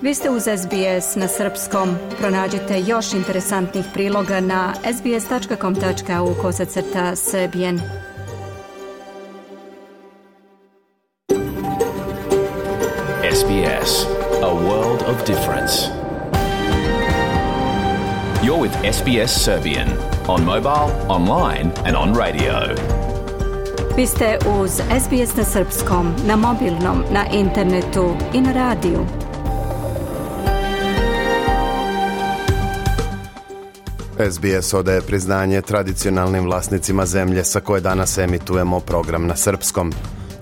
Vi ste uz SBS na srpskom. Pronađite još interesantnih priloga na sbs.com.au/serbian. SBS, a world of difference. You're with SBS Serbian on mobile, online and on radio. Vi ste uz SBS na srpskom, na mobilnom, na internetu i na radiju. SBS odaje priznanje tradicionalnim vlasnicima zemlje sa koje danas emitujemo program na srpskom.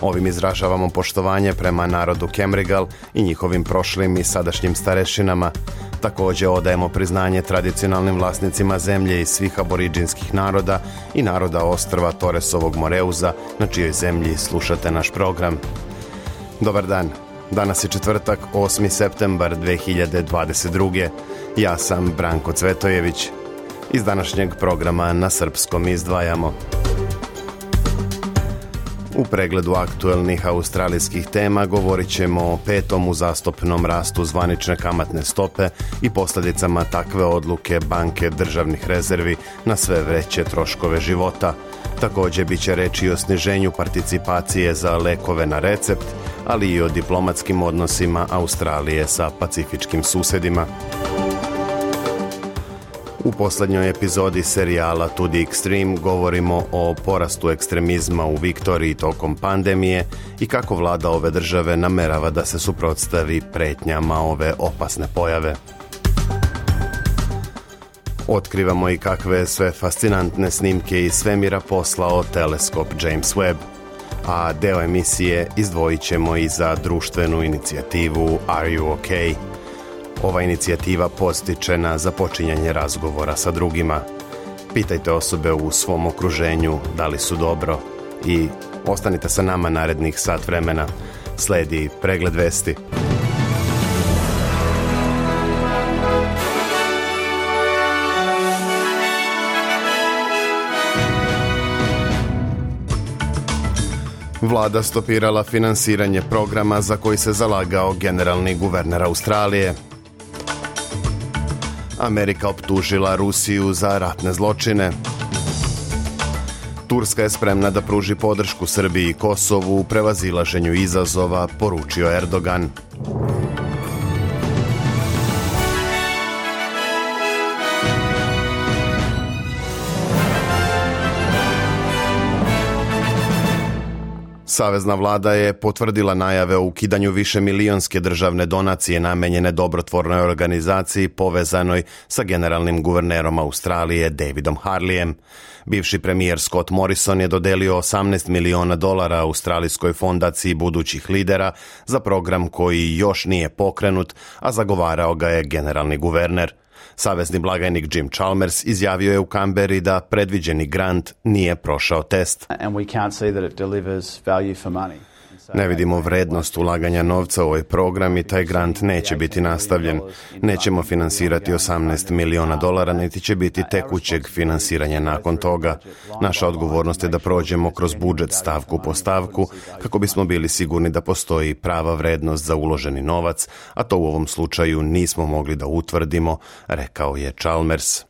Ovim izražavamo poštovanje prema narodu Kemrigal i njihovim prošlim i sadašnjim starešinama. Također odajemo priznanje tradicionalnim vlasnicima zemlje i svih aboriđinskih naroda i naroda ostrva Toresovog Moreuza, na čijoj zemlji slušate naš program. Dobar dan. Danas je četvrtak, 8. septembar 2022. Ja sam Branko Cvetojević. Iz današnjeg programa na srpskom izdvajamo: u pregledu aktuelnih australijskih tema govorit ćemo o 5. uzastopnom rastu zvanične kamatne stope i posljedicama takve odluke banke državnih rezervi na sve veće troškove života. Također bit će reći o sniženju participacije za lekove na recept, ali i o diplomatskim odnosima Australije sa pacifičkim susjedima. U posljednjoj epizodi serijala To the Extreme govorimo o porastu ekstremizma u Viktoriji tokom pandemije i kako vlada ove države namerava da se suprotstavi pretnjama ove opasne pojave. Otkrivamo i kakve sve fascinantne snimke iz svemira poslao teleskop James Webb, a deo emisije izdvojit ćemo i za društvenu inicijativu Are You OK? Ova inicijativa postiče na započinjanje razgovora sa drugima. Pitajte osobe u svom okruženju da li su dobro i ostanite sa nama narednih sat vremena. Sledi pregled vesti. Vlada stopirala finansiranje programa za koji se zalagao generalni guverner Australije. Amerika optužila Rusiju za ratne zločine. Turska je spremna da pruži podršku Srbiji i Kosovu u prevazilaženju izazova, poručio Erdogan. Savezna vlada je potvrdila najave o ukidanju višemilionske državne donacije namenjene dobrotvornoj organizaciji povezanoj sa generalnim guvernerom Australije Davidom Harleyem. Bivši premijer Scott Morrison je dodelio $18 miliona Australijskoj fondaciji budućih lidera za program koji još nije pokrenut, a zagovarao ga je generalni guverner. Savezni blagajnik Jim Chalmers izjavio je u Canberri da predviđeni grant nije prošao test. Ne vidimo vrednost ulaganja novca u ovaj program i taj grant neće biti nastavljen. Nećemo finansirati $18 miliona, niti će biti tekućeg finansiranja nakon toga. Naša odgovornost je da prođemo kroz budžet stavku po stavku kako bismo bili sigurni da postoji prava vrednost za uloženi novac, a to u ovom slučaju nismo mogli da utvrdimo, rekao je Chalmers.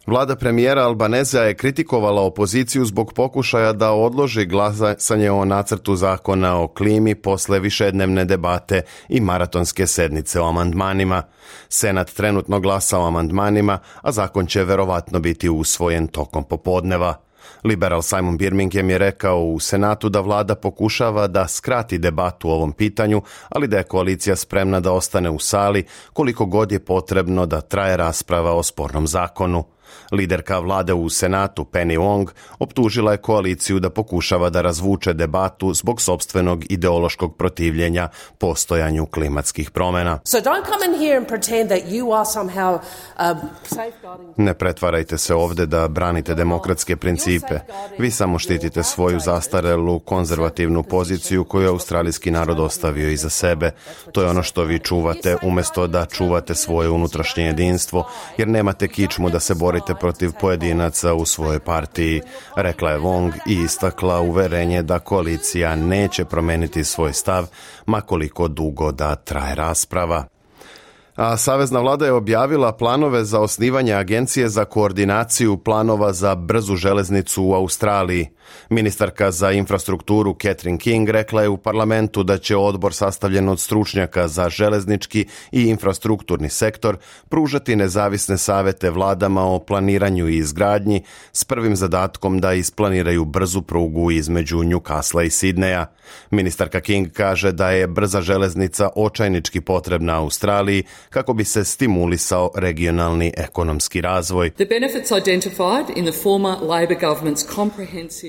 Vlada premijera Albanezea je kritikovala opoziciju zbog pokušaja da odloži glasanje o nacrtu zakona o klimi posle višednevne debate i maratonske sednice o amandmanima. Senat trenutno glasa o amandmanima, a zakon će verovatno biti usvojen tokom popodneva. Liberal Simon Birmingham je rekao u Senatu da vlada pokušava da skrati debatu o ovom pitanju, ali da je koalicija spremna da ostane u sali koliko god je potrebno da traje rasprava o spornom zakonu. Liderka vlade u Senatu, Penny Wong, optužila je koaliciju da pokušava da razvuče debatu zbog sopstvenog ideološkog protivljenja postojanju klimatskih promjena. Ne pretvarajte se ovdje da branite demokratske principe. Vi samo štitite svoju zastarelu konzervativnu poziciju koju je australijski narod ostavio iza sebe. To je ono što vi čuvate umjesto da čuvate svoje unutrašnje jedinstvo, jer nemate kičmu da se borite protiv pojedinaca u svojoj partiji, rekla je Wong i istakla uverenje da koalicija neće promeniti svoj stav, ma koliko dugo da traje rasprava. A Savezna vlada je objavila planove za osnivanje agencije za koordinaciju planova za brzu železnicu u Australiji. Ministarka za infrastrukturu Catherine King rekla je u parlamentu da će odbor sastavljen od stručnjaka za železnički i infrastrukturni sektor pružati nezavisne savete vladama o planiranju i izgradnji s prvim zadatkom da isplaniraju brzu prugu između Newcastle i Sidneja. Ministarka King kaže da je brza železnica očajnički potrebna Australiji kako bi se stimulisao regionalni ekonomski razvoj.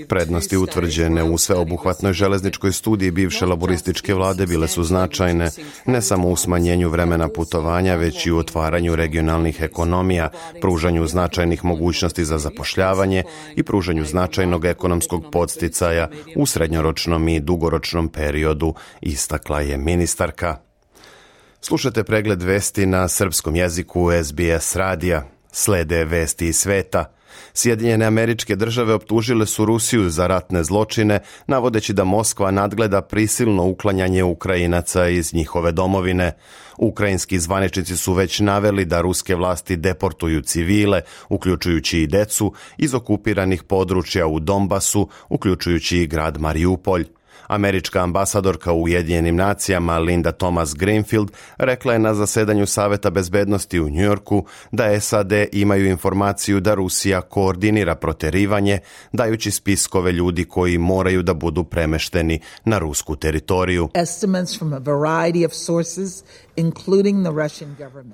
Prednosti utvrđene u sveobuhvatnoj železničkoj studiji bivše laborističke vlade bile su značajne, ne samo u smanjenju vremena putovanja, već i u otvaranju regionalnih ekonomija, pružanju značajnih mogućnosti za zapošljavanje i pružanju značajnog ekonomskog podsticaja u srednjoročnom i dugoročnom periodu, istakla je ministarka. Slušate pregled vesti na srpskom jeziku SBS radija. Slede vesti iz sveta. Sjedinjene Američke Države optužile su Rusiju za ratne zločine, navodeći da Moskva nadgleda prisilno uklanjanje Ukrajinaca iz njihove domovine. Ukrajinski zvaničnici su već naveli da ruske vlasti deportuju civile, uključujući i decu, iz okupiranih područja u Donbasu, uključujući i grad Mariupolj. Američka ambasadorka u Ujedinjenim nacijama Linda Thomas Greenfield rekla je na zasedanju Saveta bezbednosti u Njujorku da SAD imaju informaciju da Rusija koordinira proterivanje, dajući spiskove ljudi koji moraju da budu premešteni na rusku teritoriju.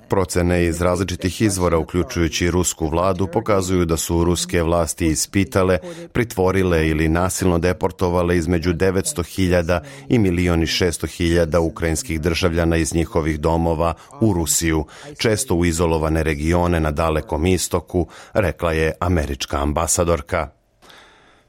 Procene iz različitih izvora, uključujući rusku vladu, pokazuju da su ruske vlasti ispitale, pritvorile ili nasilno deportovale između 900.000 i 1.600.000 ukrajinskih državljana iz njihovih domova u Rusiju, često u izolovane regione na Dalekom istoku, rekla je američka ambasadorka.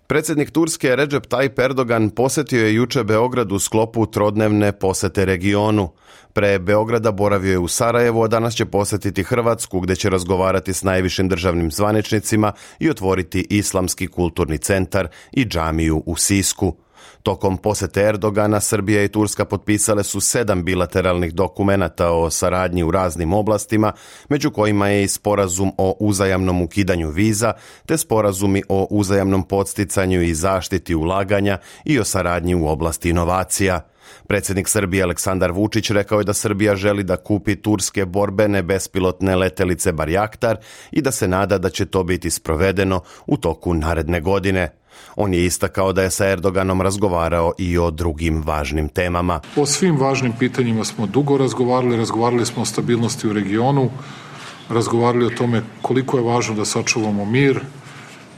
Predsjednik Turske Recep Tayyip Erdogan posjetio je juče Beograd u sklopu trodnevne posete regionu. Pre Beograda boravio je u Sarajevu, a danas će posjetiti Hrvatsku, gdje će razgovarati s najvišim državnim zvaničnicima i otvoriti Islamski kulturni centar i džamiju u Sisku. Tokom posete Erdogana, Srbija i Turska potpisale su 7 bilateralnih dokumenata o saradnji u raznim oblastima, među kojima je i sporazum o uzajamnom ukidanju viza, te sporazumi o uzajamnom podsticanju i zaštiti ulaganja i o saradnji u oblasti inovacija. Predsjednik Srbije Aleksandar Vučić rekao je da Srbija želi da kupi turske borbene bespilotne letelice Barjaktar i da se nada da će to biti sprovedeno u toku naredne godine. On je istakao da je sa Erdoganom razgovarao i o drugim važnim temama. O svim važnim pitanjima smo dugo razgovarali smo o stabilnosti u regionu, razgovarali o tome koliko je važno da sačuvamo mir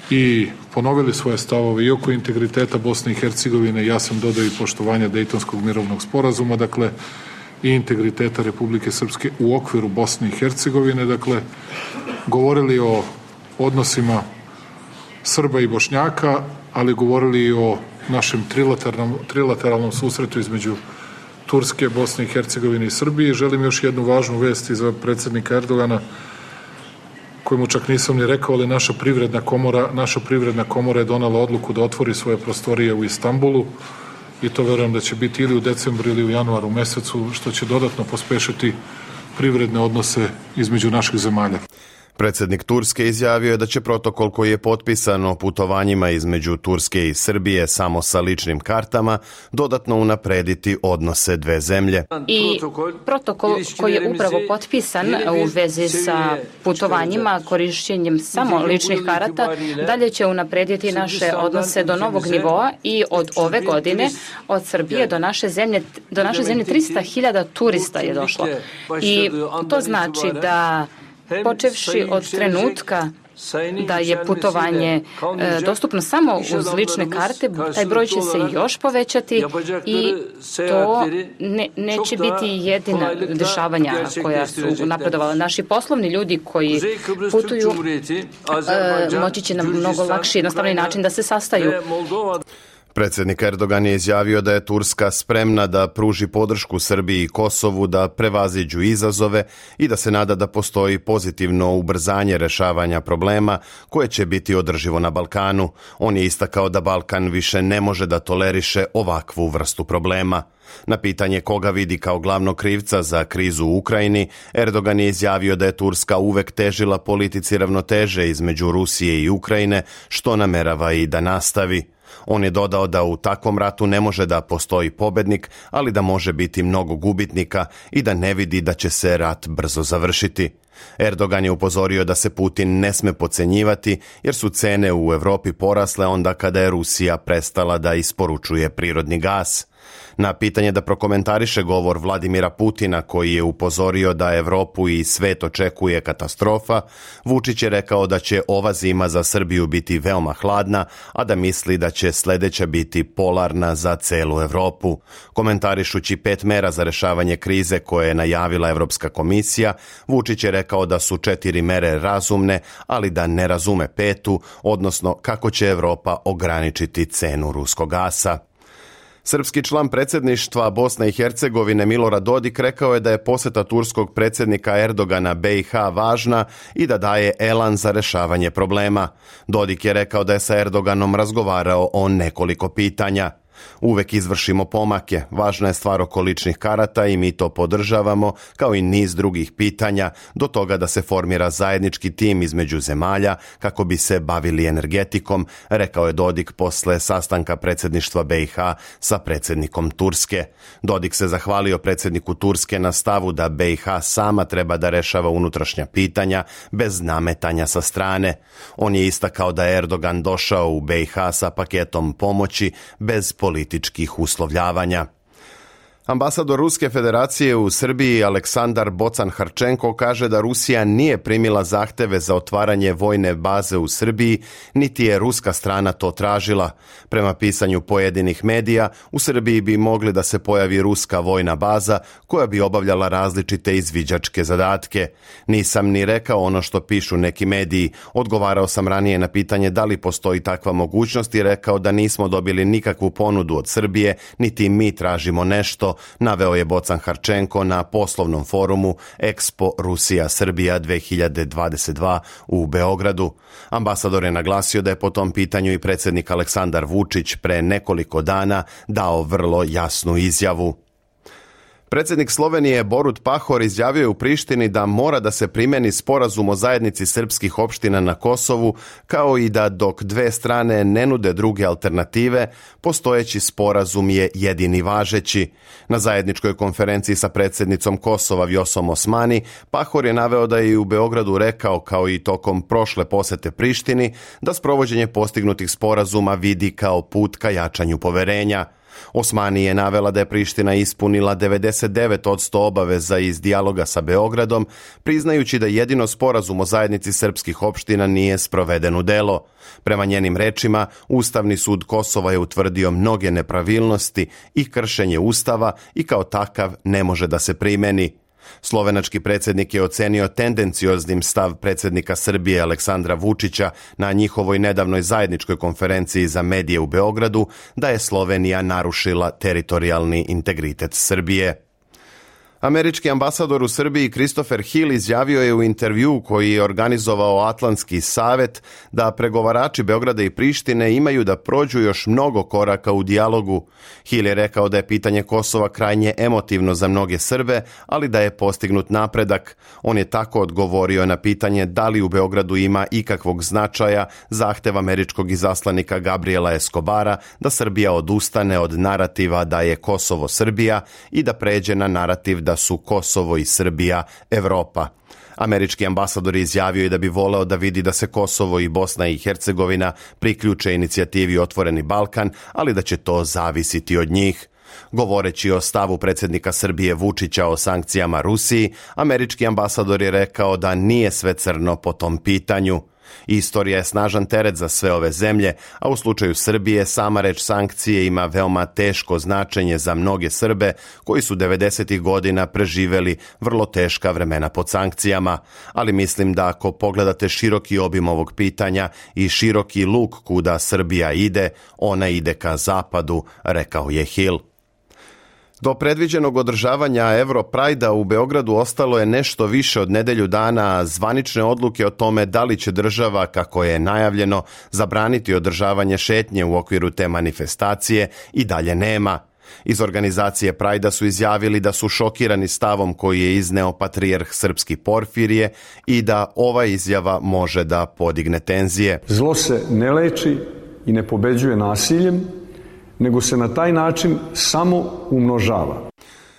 i ponovili svoje stavove i oko integriteta Bosne i Hercegovine. Ja sam dodao i poštovanja Dejtonskog mirovnog sporazuma, dakle i integriteta Republike Srpske u okviru Bosne i Hercegovine, dakle govorili o odnosima Srba i Bošnjaka, ali govorili i o našem trilateralnom susretu između Turske, Bosne i Hercegovine i Srbije. Želim još jednu važnu vest iz predsjednika Erdogana, koju mu čak nisam ni rekao, ali naša privredna komora je donala odluku da otvori svoje prostorije u Istanbulu i to verujem da će biti ili u decembru ili u januaru mesecu, što će dodatno pospešiti privredne odnose između naših zemalja. Predsjednik Turske izjavio je da će protokol koji je potpisan o putovanjima između Turske i Srbije samo sa ličnim kartama dodatno unaprediti odnose dve zemlje. I protokol koji je upravo potpisan u vezi sa putovanjima korišćenjem samo ličnih karata dalje će unaprediti naše odnose do novog nivoa i od ove godine od Srbije do naše zemlje 300.000 turista je došlo. I to znači da počevši od trenutka da je putovanje dostupno samo uz lične karte, taj broj će se još povećati i to neće biti jedina dešavanja koja su napredovala. Naši poslovni ljudi koji putuju moći će na mnogo lakši, jednostavni način da se sastaju. Predsjednik Erdogan je izjavio da je Turska spremna da pruži podršku Srbiji i Kosovu da prevaziđu izazove i da se nada da postoji pozitivno ubrzanje rešavanja problema koje će biti održivo na Balkanu. On je istakao da Balkan više ne može da toleriše ovakvu vrstu problema. Na pitanje koga vidi kao glavnog krivca za krizu u Ukrajini, Erdogan je izjavio da je Turska uvek težila politici ravnoteže između Rusije i Ukrajine, što namerava i da nastavi. On je dodao da u takvom ratu ne može da postoji pobednik, ali da može biti mnogo gubitnika i da ne vidi da će se rat brzo završiti. Erdogan je upozorio da se Putin ne sme podcenjivati jer su cene u Evropi porasle onda kada je Rusija prestala da isporučuje prirodni gas. Na pitanje da prokomentariše govor Vladimira Putina koji je upozorio da Evropu i svet očekuje katastrofa, Vučić je rekao da će ova zima za Srbiju biti veoma hladna, a da misli da će sledeća biti polarna za celu Evropu. Komentarišući 5 mera za rešavanje krize koje je najavila Evropska komisija, Vučić je rekao da su 4 mere razumne, ali da ne razume 5, odnosno kako će Evropa ograničiti cenu ruskog gasa. Srpski član predsjedništva Bosne i Hercegovine Milorad Dodik rekao je da je poseta turskog predsjednika Erdogana BiH važna i da daje elan za rešavanje problema. Dodik je rekao da je sa Erdoganom razgovarao o nekoliko pitanja. Uvek izvršimo pomake, važna je stvar oko ličnih karata i mi to podržavamo, kao i niz drugih pitanja, do toga da se formira zajednički tim između zemalja kako bi se bavili energetikom, rekao je Dodik posle sastanka predsjedništva BiH sa predsjednikom Turske. Dodik se zahvalio predsjedniku Turske na stavu da BiH sama treba da rešava unutrašnja pitanja bez nametanja sa strane. On je istakao da je Erdogan došao u BiH sa paketom pomoći bez političkih uslovljavanja. Ambasador Ruske federacije u Srbiji Aleksandar Bocan-Harčenko kaže da Rusija nije primila zahteve za otvaranje vojne baze u Srbiji, niti je ruska strana to tražila. Prema pisanju pojedinih medija, u Srbiji bi mogli da se pojavi ruska vojna baza koja bi obavljala različite izviđačke zadatke. Nisam ni rekao ono što pišu neki mediji. Odgovarao sam ranije na pitanje da li postoji takva mogućnost i rekao da nismo dobili nikakvu ponudu od Srbije, niti mi tražimo nešto, naveo je Bocan-Harčenko na poslovnom forumu Expo Rusija-Srbija 2022 u Beogradu. Ambasador je naglasio da je po tom pitanju i predsjednik Aleksandar Vučić pre nekoliko dana dao vrlo jasnu izjavu. Predsjednik Slovenije Borut Pahor izjavio je u Prištini da mora da se primeni sporazum o zajednici srpskih opština na Kosovu, kao i da dok dve strane ne nude druge alternative, postojeći sporazum je jedini važeći. Na zajedničkoj konferenciji sa predsjednicom Kosova Vjosom Osmani, Pahor je naveo da je i u Beogradu rekao, kao i tokom prošle posete Prištini, da sprovođenje postignutih sporazuma vidi kao put ka jačanju poverenja. Osmani je navela da je Priština ispunila 99% obaveza iz dijaloga sa Beogradom, priznajući da jedino sporazum o zajednici srpskih opština nije sproveden u delo. Prema njenim rečima, Ustavni sud Kosova je utvrdio mnoge nepravilnosti i kršenje Ustava i kao takav ne može da se primeni. Slovenački predsjednik je ocenio tendencioznim stav predsjednika Srbije Aleksandra Vučića na njihovoj nedavnoj zajedničkoj konferenciji za medije u Beogradu da je Slovenija narušila teritorijalni integritet Srbije. Američki ambasador u Srbiji Christopher Hill izjavio je u intervjuu koji je organizovao Atlantski savet da pregovarači Beograda i Prištine imaju da prođu još mnogo koraka u dijalogu. Hill je rekao da je pitanje Kosova krajnje emotivno za mnoge Srbe, ali da je postignut napredak. On je tako odgovorio na pitanje da li u Beogradu ima ikakvog značaja zahtev američkog izaslanika Gabriela Escobara da Srbija odustane od narativa da je Kosovo Srbija i da pređe na narativ da su Kosovo i Srbija Evropa. Američki ambasador je izjavio i da bi voleo da vidi da se Kosovo i Bosna i Hercegovina priključe inicijativi Otvoreni Balkan, ali da će to zavisiti od njih. Govoreći o stavu predsjednika Srbije Vučića o sankcijama Rusiji, američki ambasador je rekao da nije sve crno po tom pitanju. Istorija je snažan teret za sve ove zemlje, a u slučaju Srbije sama reč sankcije ima veoma teško značenje za mnoge Srbe koji su 90. godina preživeli vrlo teška vremena pod sankcijama. Ali mislim da ako pogledate široki obim ovog pitanja i široki luk kuda Srbija ide, ona ide ka zapadu, rekao je Hill. Do predviđenog održavanja Europrajda u Beogradu ostalo je nešto više od nedelju dana, a zvanične odluke o tome da li će država, kako je najavljeno, zabraniti održavanje šetnje u okviru te manifestacije i dalje nema. Iz organizacije Prajda su izjavili da su šokirani stavom koji je izneo patrijarh srpski Porfirije i da ova izjava može da podigne tenzije. Zlo se ne leči i ne pobeđuje nasiljem, nego se na taj način samo umnožava.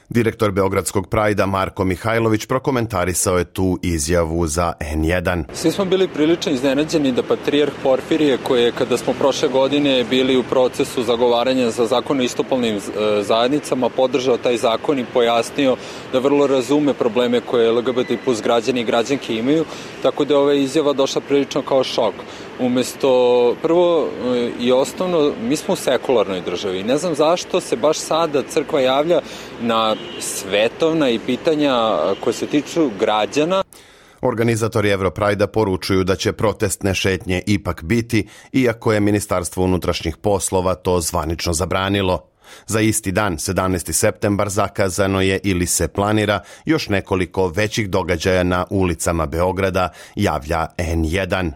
Direktor Beogradskog Prajda Marko Mihajlović prokomentarisao je tu izjavu za N1. Svi smo bili prilično iznenađeni da patrijarh Porfirije, koji je kada smo prošle godine bili u procesu zagovaranja za zakon o istopolnim zajednicama, podržao taj zakon i pojasnio da vrlo razume probleme koje LGBT plus građani i građanke imaju, tako da je ova izjava došla prilično kao šok. Umesto, prvo i osnovno, mi smo u sekularnoj državi. Ne znam zašto se baš sada crkva javlja na svetovna i pitanja koje se tiču građana. Organizatori Europrajda poručuju da će protestne šetnje ipak biti, iako je Ministarstvo unutrašnjih poslova to zvanično zabranilo. Za isti dan, 17. septembar, zakazano je ili se planira još nekoliko većih događaja na ulicama Beograda, javlja N1.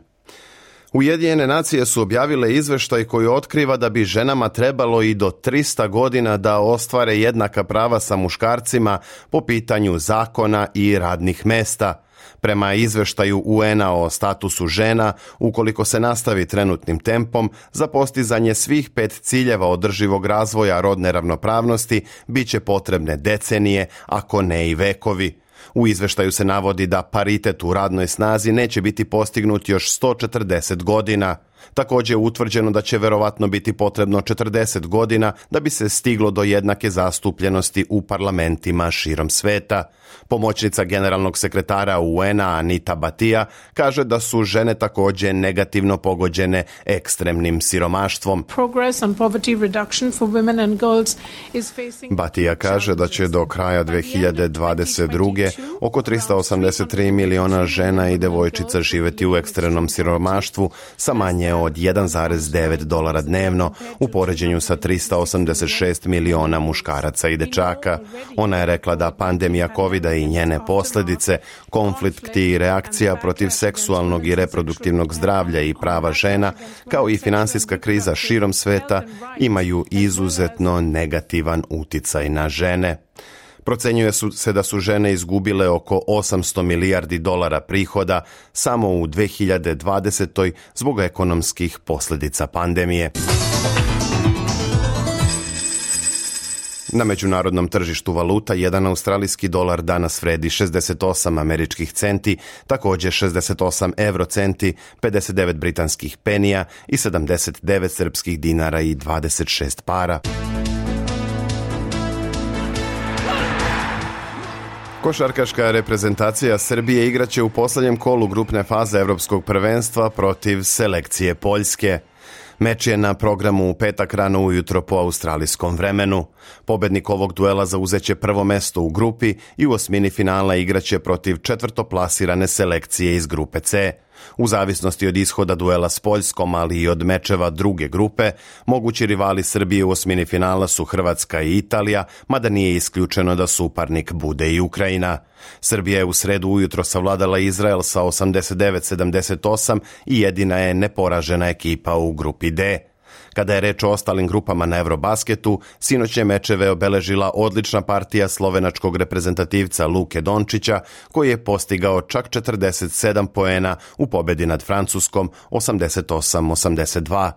Ujedinjene nacije su objavile izveštaj koji otkriva da bi ženama trebalo i do 300 godina da ostvare jednaka prava sa muškarcima po pitanju zakona i radnih mesta. Prema izveštaju UN-a o statusu žena, ukoliko se nastavi trenutnim tempom, za postizanje svih 5 ciljeva održivog razvoja rodne ravnopravnosti bit će potrebne decenije, ako ne i vekovi. U izveštaju se navodi da paritet u radnoj snazi neće biti postignut još 140 godina. Također je utvrđeno da će verovatno biti potrebno 40 godina da bi se stiglo do jednake zastupljenosti u parlamentima širom sveta. Pomoćnica generalnog sekretara UN-a Anita Batija kaže da su žene također negativno pogođene ekstremnim siromaštvom. Batija kaže da će do kraja 2022. oko 383 miliona žena i devojčica živjeti u ekstremnom siromaštvu sa manje od $1,9 dnevno u poređenju sa 386 miliona muškaraca i dečaka. Ona je rekla da pandemija COVID-a i njene posljedice, konflikti i reakcija protiv seksualnog i reproduktivnog zdravlja i prava žena, kao i financijska kriza širom sveta, imaju izuzetno negativan uticaj na žene. Procenjuje se da su žene izgubile oko $800 milijardi prihoda samo u 2020. zbog ekonomskih posljedica pandemije. Na međunarodnom tržištu valuta jedan australijski dolar danas vredi 68 američkih centi, također 68 eurocenti, 59 britanskih penija i 79 srpskih dinara i 26 para. Košarkaška reprezentacija Srbije igraće u posljednjem kolu grupne faze Evropskog prvenstva protiv selekcije Poljske. Meč je na programu u petak rano ujutro po australijskom vremenu. Pobednik ovog duela zauzeće prvo mesto u grupi i u osmini finala igraće protiv četvrtoplasirane selekcije iz grupe C. U zavisnosti od ishoda duela s Poljskom, ali i od mečeva druge grupe, mogući rivali Srbije u osmini finala su Hrvatska i Italija, mada nije isključeno da suparnik bude i Ukrajina. Srbija je u sredu ujutro savladala Izrael sa 89-78 i jedina je neporažena ekipa u grupi D. Kada je reč o ostalim grupama na Eurobasketu, sinoćne mečeve obeležila odlična partija slovenačkog reprezentativca Luke Dončića, koji je postigao čak 47 poena u pobedi nad Francuskom 88-82.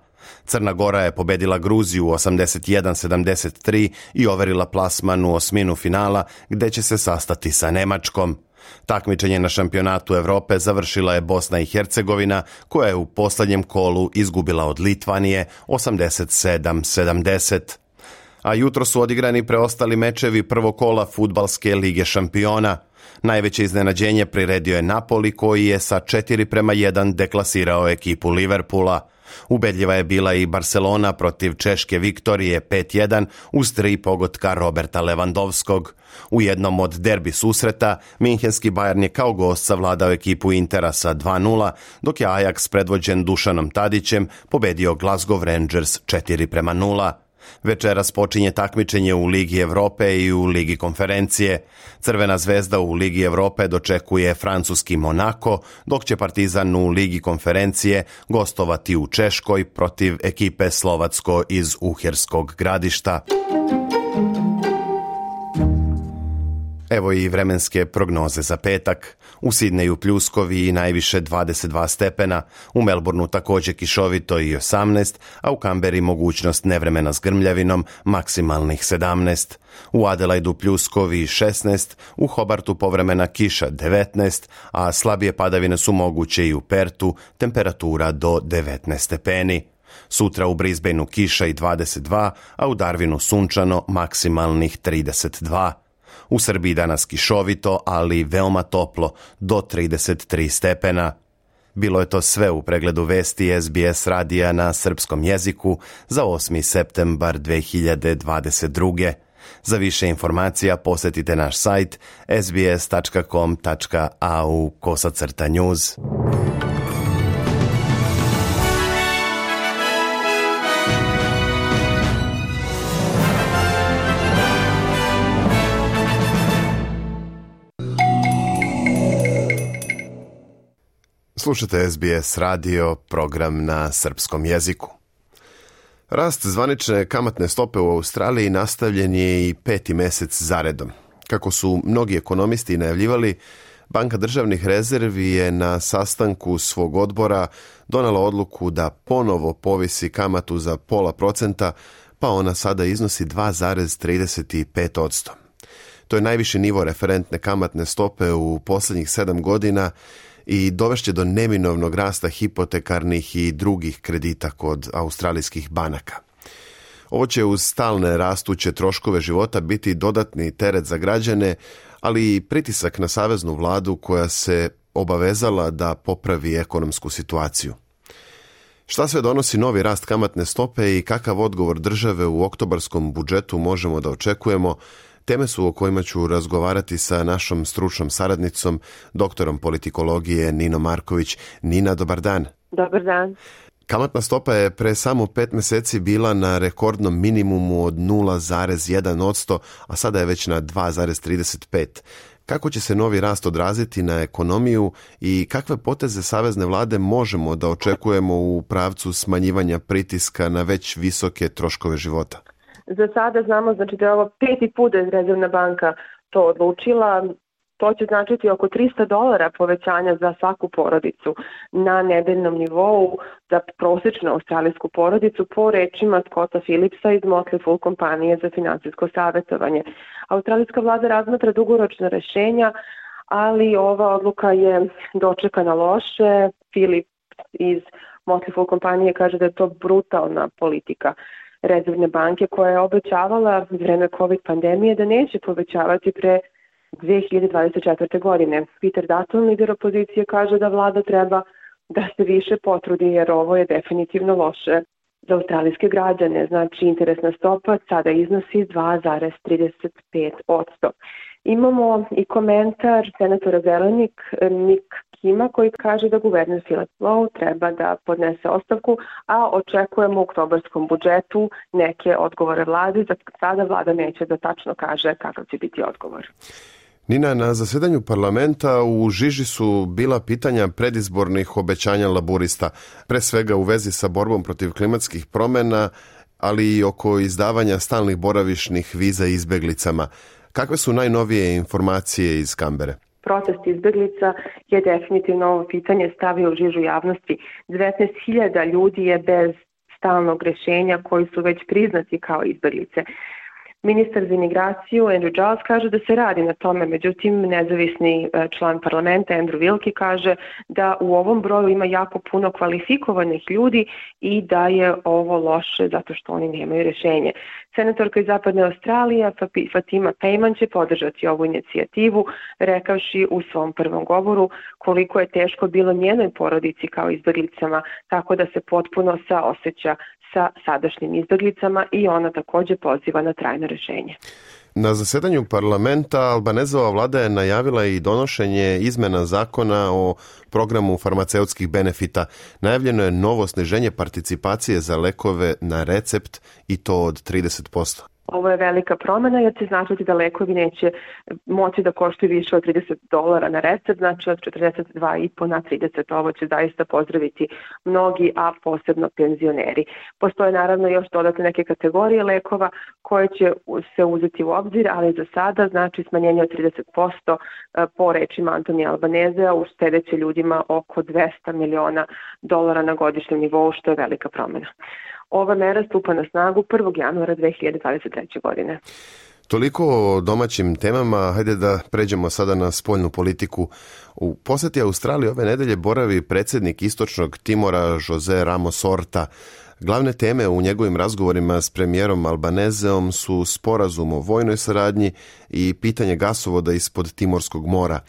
Crna Gora je pobedila Gruziju 81-73 i overila plasman u osminu finala, gde će se sastati sa Nemačkom. Takmičenje na šampionatu Evrope završila je Bosna i Hercegovina, koja je u posljednjem kolu izgubila od Litvanije 87-70. A jutro su odigrani preostali mečevi prvog kola fudbalske lige šampiona. Najveće iznenađenje priredio je Napoli koji je sa 4:1 deklasirao ekipu Liverpoola. Ubedljiva je bila i Barcelona protiv Češke Viktorije 5:1 uz 3 pogotka Roberta Lewandowskog. U jednom od derbi susreta minhenski Bayern je kao gost savladao ekipu Intera sa 2:0, dok je Ajax predvođen Dušanom Tadićem pobedio Glasgow Rangers 4:0. Večeras počinje takmičenje u Ligi Evrope i u Ligi konferencije. Crvena zvezda u Ligi Evrope dočekuje francuski Monako, dok će Partizan u Ligi konferencije gostovati u Češkoj protiv ekipe Slovacko iz Uherskog Gradišta. Evo i vremenske prognoze za petak. U Sidneju pljuskovi i najviše 22 stepena, u Melbourneu također kišovito i 18, a u Kamberi mogućnost nevremena s grmljavinom, maksimalnih 17. U Adelaidu pljuskovi 16, u Hobartu povremena kiša 19, a slabije padavine su moguće i u Pertu, temperatura do 19 stepeni. Sutra u Brisbaneu kiša i 22, a u Darwinu sunčano, maksimalnih 32. U Srbiji danas kišovito, ali veoma toplo, do 33 stepena. Bilo je to sve u pregledu vesti SBS radija na srpskom jeziku za 8. septembar 2022. Za više informacija posjetite naš sajt sbs.com.au/news. Slušate SBS radio, program na srpskom jeziku. Rast zvanične kamatne stope u Australiji nastavljen je i 5. mjesec zaredom. Kako su mnogi ekonomisti najavljivali, Banka državnih rezervi je na sastanku svog odbora donela odluku da ponovo povisi kamatu za 0,5%, pa ona sada iznosi 2,35%. To je najviši nivo referentne kamatne stope u posljednjih 7 godina i dovešće do neminovnog rasta hipotekarnih i drugih kredita kod australijskih banaka. Ovo će uz stalne rastuće troškove života biti dodatni teret za građane, ali i pritisak na saveznu vladu koja se obavezala da popravi ekonomsku situaciju. Šta sve donosi novi rast kamatne stope i kakav odgovor države u oktobarskom budžetu možemo da očekujemo, teme su o kojima ću razgovarati sa našom stručnom saradnicom, doktorom politikologije Ninom Marković. Nina, dobar dan. Dobar dan. Kamatna stopa je pre samo 5 mjeseci bila na rekordnom minimumu od 0,1%, a sada je već na 2,35%. Kako će se novi rast odraziti na ekonomiju i kakve poteze savezne vlade možemo da očekujemo u pravcu smanjivanja pritiska na već visoke troškove života? Za sada znamo da je ovo 5. put da je Rezervna banka to odlučila. To će značiti oko $300 povećanja za svaku porodicu na nedeljnom nivou za prosječnu australijsku porodicu po rečima Scotta Phillipsa iz Motley Fool kompanije za finansijsko savjetovanje. Australijska vlada razmatra dugoročna rješenja, ali ova odluka je dočekana loše. Phillips iz Motley Fool kompanije kaže da je to brutalna politika Rezervne banke koja je obećavala u vreme COVID pandemije da neće povećavati pre 2024. godine. Peter Dutton, lider opozicije, kaže da vlada treba da se više potrudi jer ovo je definitivno loše za australijske građane. Znači, interesna stopa sada iznosi 2,35%. Imamo i komentar senatora Zelenik Nick Kima koji kaže da guverner Philip Lowe treba da podnese ostavku, a očekujemo u oktobarskom budžetu neke odgovore vlade. Za sada vlada neće da tačno kaže kakav će biti odgovor. Nina, na zasedanju parlamenta u žiži su bila pitanja predizbornih obećanja laburista, pre svega u vezi sa borbom protiv klimatskih promjena, ali i oko izdavanja stalnih boravišnih viza izbeglicama. Kakve su najnovije informacije iz Kambere? Protest izbeglica je definitivno ovo pitanje stavio u žižu javnosti. 19.000 ljudi je bez stalnog rješenja koji su već priznati kao izbeglice. Ministar za imigraciju Andrew Giles kaže da se radi na tome, međutim nezavisni član parlamenta Andrew Wilkie kaže da u ovom broju ima jako puno kvalifikovanih ljudi i da je ovo loše zato što oni nemaju rješenje. Senatorka iz Zapadne Australije Fatima Payman će podržati ovu inicijativu, rekavši u svom prvom govoru koliko je teško bilo njenoj porodici kao izbjeglicama, tako da se potpuno saoseća sa sadašnjim izbjeglicama i ona također poziva na trajno rješenje. Na zasedanju parlamenta Albanezova vlada je najavila i donošenje izmena zakona o programu farmaceutskih benefita. Najavljeno je novo sniženje participacije za lekove na recept i to od 30%. Ovo je velika promjena jer će značiti da lekovi neće moći da koštuju više od $30 na recept, znači od 42,5 na 30. Ovo će zaista pozdraviti mnogi, a posebno penzioneri. Postoje naravno još dodatne neke kategorije lekova koje će se uzeti u obzir, ali za sada znači smanjenje od 30% po rečima Antonija Albanezea uštedeće ljudima oko $200 miliona na godišnjem nivou, što je velika promjena. Ova mera stupa na snagu 1. januara 2023. godine. Toliko o domaćim temama, hajde da pređemo sada na spoljnu politiku. U posjeti Australiji ove nedelje boravi predsjednik Istočnog Timora Jose Ramos Horta. Glavne teme u njegovim razgovorima s premijerom Albanezeom su sporazum o vojnoj saradnji i pitanje gasovoda ispod Timorskog mora.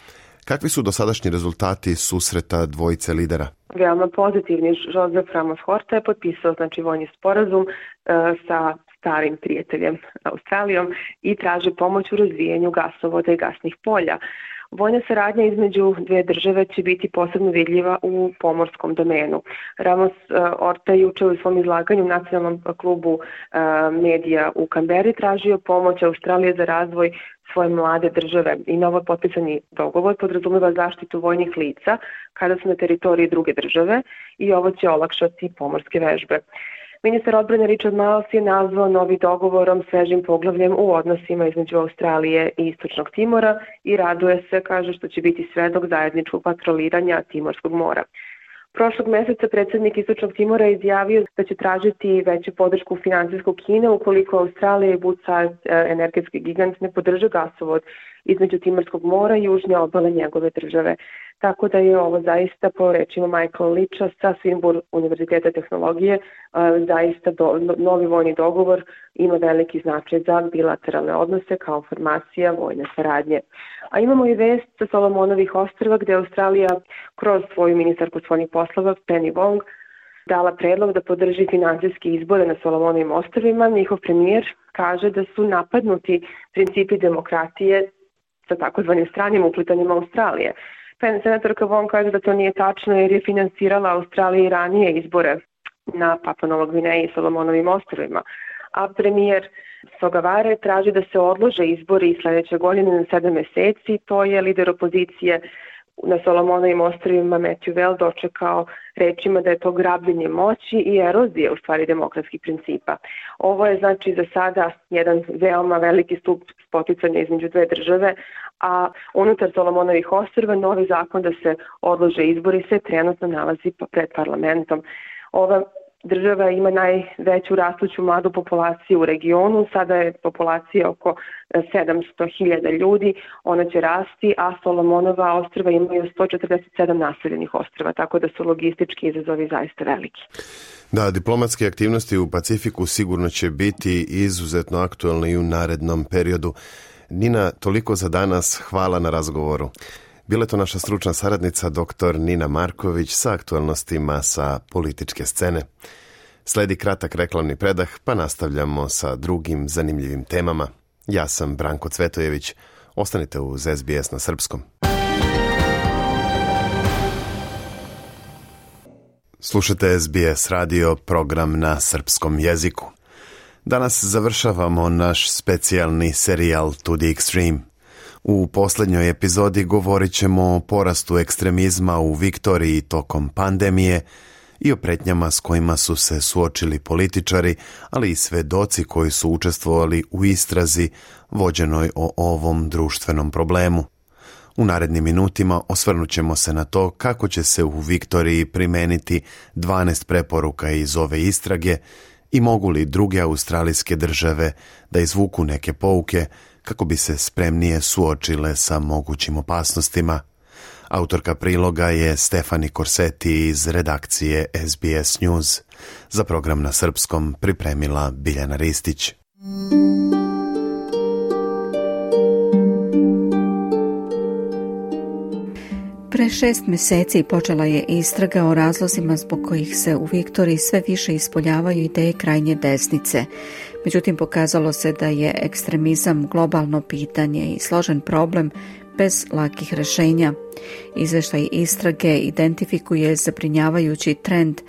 Kakvi su dosadašnji rezultati susreta dvojice lidera? Veoma pozitivni. Joseph Ramos Horta je potpisao vojni sporazum sa starim prijateljem Australijom i traži pomoć u razvijanju gasovoda i gasnih polja. Vojna saradnja između dvije države će biti posebno vidljiva u pomorskom domenu. Ramos Horta je juče u svom izlaganju u nacionalnom klubu medija u Kamberi tražio pomoć Australije za razvoj svoje mlade države i novo potpisani dogovor podrazumeva zaštitu vojnih lica kada su na teritoriji druge države i ovo će olakšati pomorske vežbe. Ministar odbrane Richard Marles je nazvao novi dogovorom svežim poglavljem u odnosima između Australije i Istočnog Timora i raduje se, kaže, što će biti svedok zajedničkog patroliranja Timorskog mora. Prošlog mjeseca predsjednik Istočnog Timora je izjavio da će tražiti veću podršku finansijskog Kine ukoliko Australija i Woodside, energetski gigant, ne podrže gasovod između Timorskog mora i južne obale njegove države. Tako da je ovo zaista, po rečima Michael Leacha sa Swinburne univerziteta tehnologije, zaista novi vojni dogovor ima veliki značaj za bilateralne odnose kao formacija vojne saradnje. A imamo i vest sa Solomonovih ostrva gdje Australija kroz svoju ministarku spoljnih poslova Penny Wong dala predlog da podrži finansijske izbore na Solomonovim ostrvima. Njihov premijer kaže da su napadnuti principi demokratije sa takozvanim stranim uplitanjima Australije. Senatorka Wong kaže da to nije tačno jer je finansirala Australiji ranije izbore na Papua Novoj Gvineji i Solomonovim ostrvima. A premijer Sogavare traži da se odlože izbori sljedeće godine na 7 mjeseci. To je lider opozicije na Solomonovim ostrvima Matthew Vell dočekao rečima da je to grabljenje moći i erozija u stvari demokratskih principa. Ovo je znači za sada jedan veoma veliki stup spoticanja između dve države, a unutar Solomonovih ostrva novi zakon da se odlože izbori se trenutno nalazi pred parlamentom. Ova država ima najveću rastuću mladu populaciju u regionu, sada je populacija oko 700.000 ljudi, ona će rasti, a Solomonova ostrva imaju 147 naseljenih ostrva, tako da su logistički izazovi zaista veliki. Da, diplomatske aktivnosti u Pacifiku sigurno će biti izuzetno aktualne i u narednom periodu. Nina, toliko za danas, hvala na razgovoru. Bila je to naša stručna saradnica dr. Nina Marković sa aktualnostima sa političke scene. Sledi kratak reklamni predah, pa nastavljamo sa drugim zanimljivim temama. Ja sam Branko Cvetojević. Ostanite uz SBS na srpskom. Slušate SBS radio, program na srpskom jeziku. Danas završavamo naš specijalni serijal To the Extreme. U posljednjoj epizodi govorit ćemo o porastu ekstremizma u Viktoriji tokom pandemije i o pretnjama s kojima su se suočili političari, ali i svedoci koji su učestvovali u istrazi vođenoj o ovom društvenom problemu. U narednim minutima osvrnut ćemo se na to kako će se u Viktoriji primeniti 12 preporuka iz ove istrage i mogu li druge australijske države da izvuku neke pouke kako bi se spremnije suočile sa mogućim opasnostima. Autorka priloga je Stefani Corsetti iz redakcije SBS News. Za program na srpskom pripremila Biljana Ristić. Pre 6 mjeseci počela je istraga o razlozima zbog kojih se u Viktoriji sve više ispoljavaju ideje krajnje desnice. Međutim, pokazalo se da je ekstremizam globalno pitanje i složen problem bez lakih rješenja. Izvještaj istrage identifikuje zabrinjavajući trend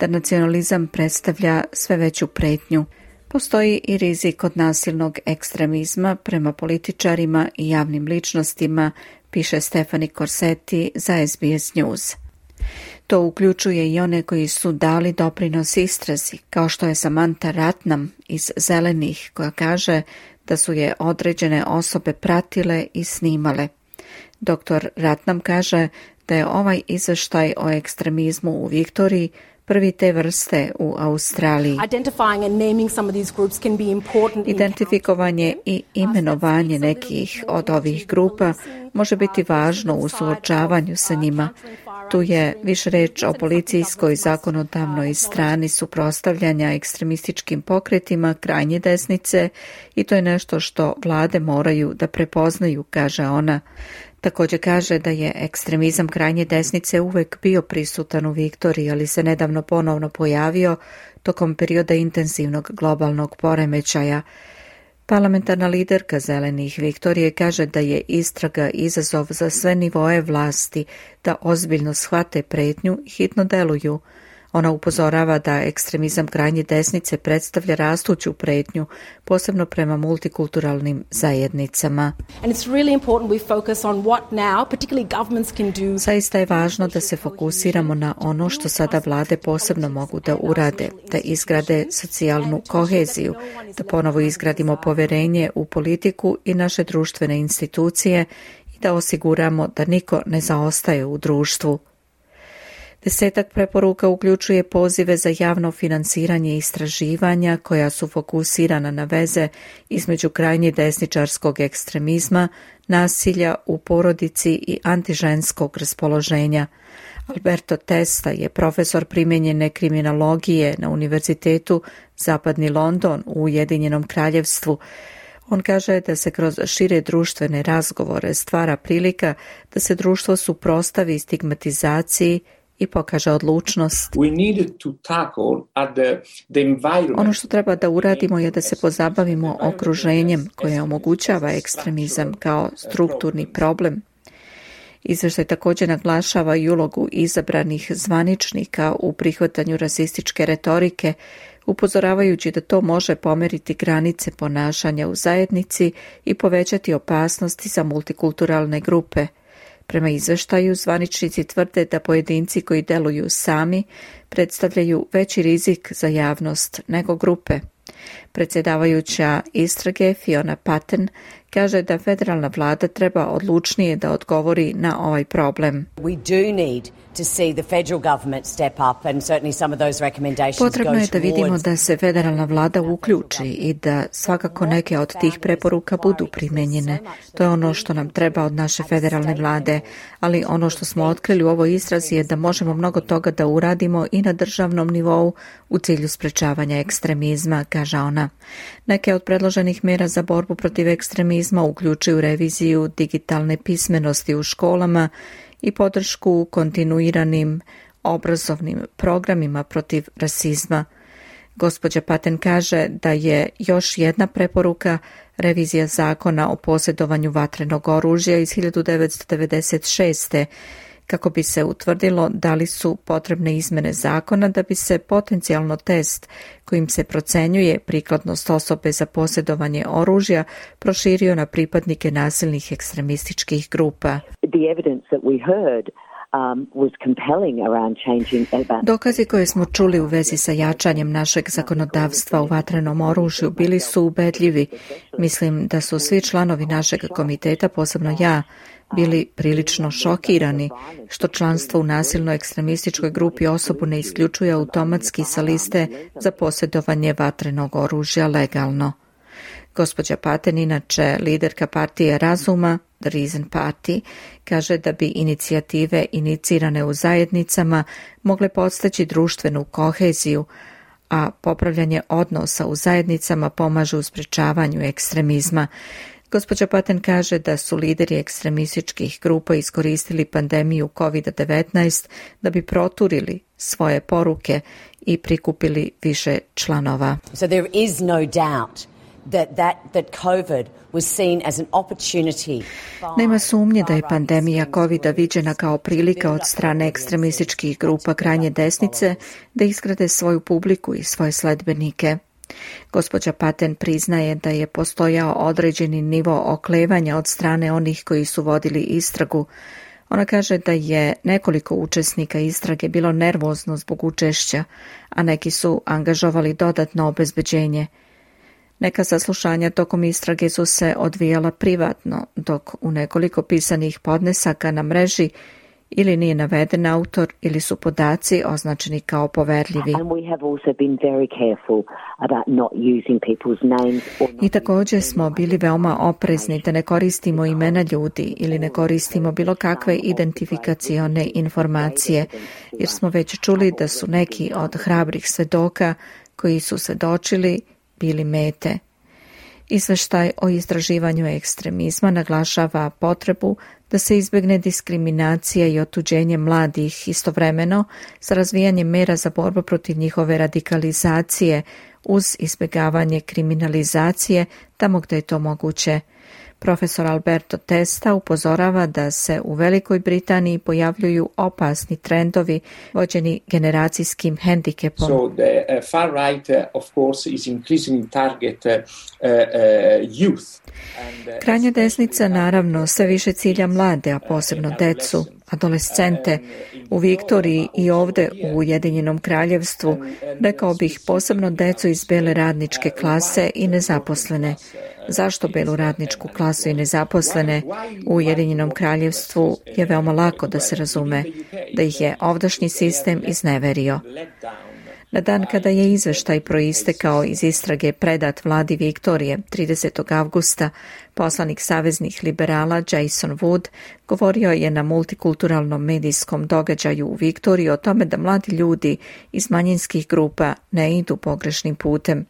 da nacionalizam predstavlja sve veću pretnju. Postoji i rizik od nasilnog ekstremizma prema političarima i javnim ličnostima, piše Stefani Corsetti za SBS News. To uključuje i one koji su dali doprinos istrazi, kao što je Samantha Ratnam iz Zelenih, koja kaže da su je određene osobe pratile i snimale. Dr. Ratnam kaže da je ovaj izvještaj o ekstremizmu u Viktoriji prvi te vrste u Australiji. Identifikovanje i imenovanje nekih od ovih grupa može biti važno u suočavanju sa njima. Tu je više reč o policijskoj zakonodavnoj strani suprotstavljanja ekstremističkim pokretima krajnje desnice i to je nešto što vlade moraju da prepoznaju, kaže ona. Također kaže da je ekstremizam krajnje desnice uvek bio prisutan u Viktoriji, ali se nedavno ponovno pojavio tokom perioda intenzivnog globalnog poremećaja. Parlamentarna liderka Zelenih Viktorije kaže da je istraga izazov za sve nivoe vlasti da ozbiljno shvate pretnju i hitno deluju. Ona upozorava da ekstremizam krajnje desnice predstavlja rastuću pretnju, posebno prema multikulturalnim zajednicama. Zaista je važno da se fokusiramo na ono što sada vlade posebno mogu da urade, da izgrade socijalnu koheziju, da ponovo izgradimo poverenje u politiku i naše društvene institucije i da osiguramo da niko ne zaostaje u društvu. 10 preporuka uključuje pozive za javno finansiranje istraživanja koja su fokusirana na veze između krajnje desničarskog ekstremizma, nasilja u porodici i antiženskog raspoloženja. Alberto Testa je profesor primijenjene kriminologije na Univerzitetu Zapadni London u Ujedinjenom Kraljevstvu. On kaže da se kroz šire društvene razgovore stvara prilika da se društvo suprotstavi stigmatizaciji i pokaže odlučnost. Ono što treba da uradimo je da se pozabavimo okruženjem koje omogućava ekstremizam kao strukturni problem. Izvještaj također naglašava i ulogu izabranih zvaničnika u prihvatanju rasističke retorike, upozoravajući da to može pomeriti granice ponašanja u zajednici i povećati opasnosti za multikulturalne grupe. Prema izveštaju, zvaničnici tvrde da pojedinci koji deluju sami predstavljaju veći rizik za javnost nego grupe. Predsjedavajuća istrage Fiona Patten kaže da federalna vlada treba odlučnije da odgovori na ovaj problem. Potrebno je da vidimo da se federalna vlada uključi i da svakako neke od tih preporuka budu primenjene. To je ono što nam treba od naše federalne vlade, ali ono što smo otkrili u ovoj istrazi je da možemo mnogo toga da uradimo i na državnom nivou u cilju sprečavanja ekstremizma, kaže ona. Neke od predloženih mjera za borbu protiv ekstremizma uključuju reviziju digitalne pismenosti u školama i podršku kontinuiranim obrazovnim programima protiv rasizma. Gospođa Patten kaže da je još jedna preporuka revizija zakona o posjedovanju vatrenog oružja iz 1996. kako bi se utvrdilo da li su potrebne izmjene zakona da bi se potencijalno test kojim se procenjuje prikladnost osobe za posjedovanje oružja proširio na pripadnike nasilnih ekstremističkih grupa. The evidence that we heard Dokazi koje smo čuli u vezi sa jačanjem našeg zakonodavstva u vatrenom oružju bili su ubedljivi. Mislim da su svi članovi našeg komiteta, posebno ja, bili prilično šokirani što članstvo u nasilno ekstremističkoj grupi osobu ne isključuje automatski sa liste za posjedovanje vatrenog oružja legalno. Gospođa Patten, inače liderka partije razuma, The Reason Party, kaže da bi inicijative inicirane u zajednicama mogle podstaći društvenu koheziju, a popravljanje odnosa u zajednicama pomaže u sprečavanju ekstremizma. Gospođa Patten kaže da su lideri ekstremističkih grupa iskoristili pandemiju COVID-19 da bi proturili svoje poruke i prikupili više članova. So there is no doubt that COVID was seen as an opportunity. Nema sumnje da je pandemija COVID-a viđena kao prilika od strane ekstremističkih grupa krajnje desnice da izgrade svoju publiku i svoje sledbenike. Gospođa Patten priznaje da je postojao određeni nivo oklevanja od strane onih koji su vodili istragu. Ona kaže da je nekoliko učesnika istrage bilo nervozno zbog učešća, a neki su angažovali dodatno obezbeđenje. Neka saslušanja tokom istrage su se odvijala privatno, dok u nekoliko pisanih podnesaka na mreži ili nije naveden autor ili su podaci označeni kao poverljivi. I također smo bili veoma oprezni da ne koristimo imena ljudi ili ne koristimo bilo kakve identifikacione informacije, jer smo već čuli da su neki od hrabrih svedoka koji su svedočili bili mete. Izveštaj o istraživanju ekstremizma naglašava potrebu da se izbjegne diskriminacija i otuđenje mladih istovremeno sa razvijanjem mera za borbu protiv njihove radikalizacije uz izbjegavanje kriminalizacije tamo gdje je to moguće. Profesor Alberto Testa upozorava da se u Velikoj Britaniji pojavljuju opasni trendovi vođeni generacijskim hendikepom. So the far right of course is increasing target youth. Krajnja desnica naravno sve više cilja mlade, a posebno decu, adolescente. U Viktoriji i ovdje u Ujedinjenom Kraljevstvu, rekao bih posebno decu iz bele radničke klase i nezaposlene. Zašto belu radničku klasu i nezaposlene? U Ujedinjenom Kraljevstvu je veoma lako da se razume da ih je ovdašnji sistem izneverio. Na dan kada je izveštaj proistekao iz istrage predat vladi Viktorije 30. avgusta, poslanik saveznih liberala Jason Wood govorio je na multikulturalnom medijskom događaju u Viktoriji o tome da mladi ljudi iz manjinskih grupa ne idu pogrešnim putem.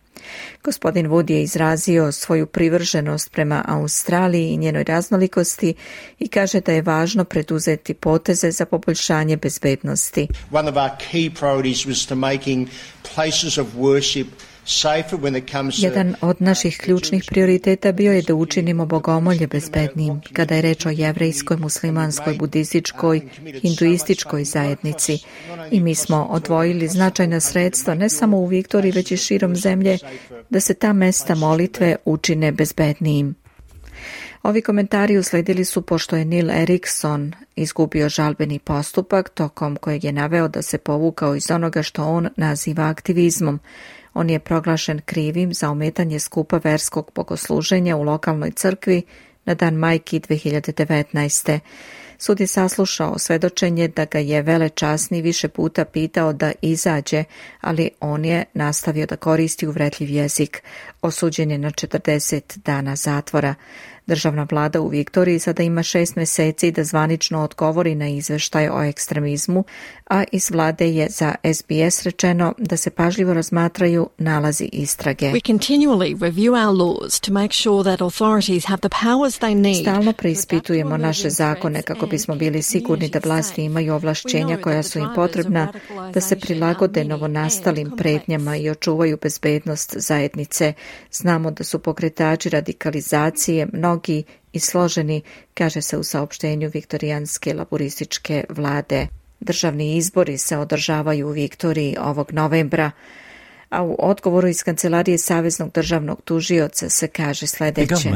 Gospodin Wood je izrazio svoju privrženost prema Australiji i njenoj raznolikosti i kaže da je važno preduzeti poteze za poboljšanje bezbednosti. One of our key priorities was to making places of worship Jedan od naših ključnih prioriteta bio je da učinimo bogomolje bezbednim kada je reč o jevrejskoj, muslimanskoj, budističkoj, hinduističkoj zajednici. I mi smo odvojili značajna sredstva ne samo u Viktoriji, već i širom zemlje, da se ta mesta molitve učine bezbednijim. Ovi komentari usledili su pošto je Neil Erikson izgubio žalbeni postupak tokom kojeg je naveo da se povukao iz onoga što on naziva aktivizmom. On je proglašen krivim za ometanje skupa verskog bogosluženja u lokalnoj crkvi na dan Majki 2019. Sud je saslušao svedočenje da ga je velečasni više puta pitao da izađe, ali on je nastavio da koristi uvredljiv jezik. Osuđen je na 40 dana zatvora. Državna vlada u Viktoriji sada ima 6 mjeseci da zvanično odgovori na izveštaj o ekstremizmu, a iz vlade je za SBS rečeno da se pažljivo razmatraju nalazi istrage. Stalno preispitujemo naše zakone kako bismo bili sigurni da vlasti imaju ovlašćenja koja su im potrebna da se prilagode novonastalim pretnjama i očuvaju bezbednost zajednice. Znamo da su pokretači radikalizacije mnogi i složeni, kaže se u saopštenju viktorijanske laborističke vlade. Državni izbori se održavaju u Viktoriji ovog novembra. a u odgovoru iz Kancelarije Saveznog državnog tužioca se kaže sljedeće.